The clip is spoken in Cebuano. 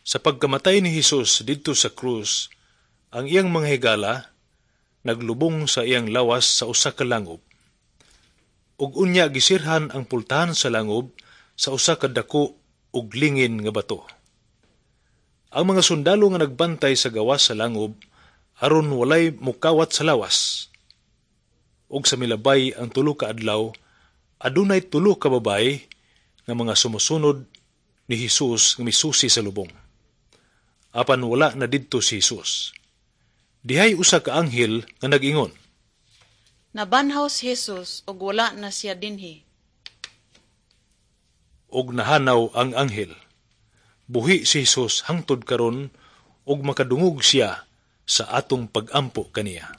Sa pagkamatay ni Hesus didto sa krus, ang iyang mga higala naglubong sa iyang lawas sa usa ka langob. Ug unya gisirhan ang pultahan sa langob sa usa ka dako ug lingin nga bato. Ang mga sundalo nga nagbantay sa gawas sa langob aron walay mukawat sa lawas. Ug sa milabay ang 3 ka adlaw, adunay 3 ka babaye nga mga sumusunod ni Hesus nga misusi sa lubong. Apan wala na didto si Hesus. Dihay usa ka anghel nga nag-ingon, "Nabanhaw si Jesus ug wala na siya dinhi." Ug nahanaw ang anghel. Buhi si Hesus hangtod karon ug makadungog siya sa atong pag-ampo kaniya.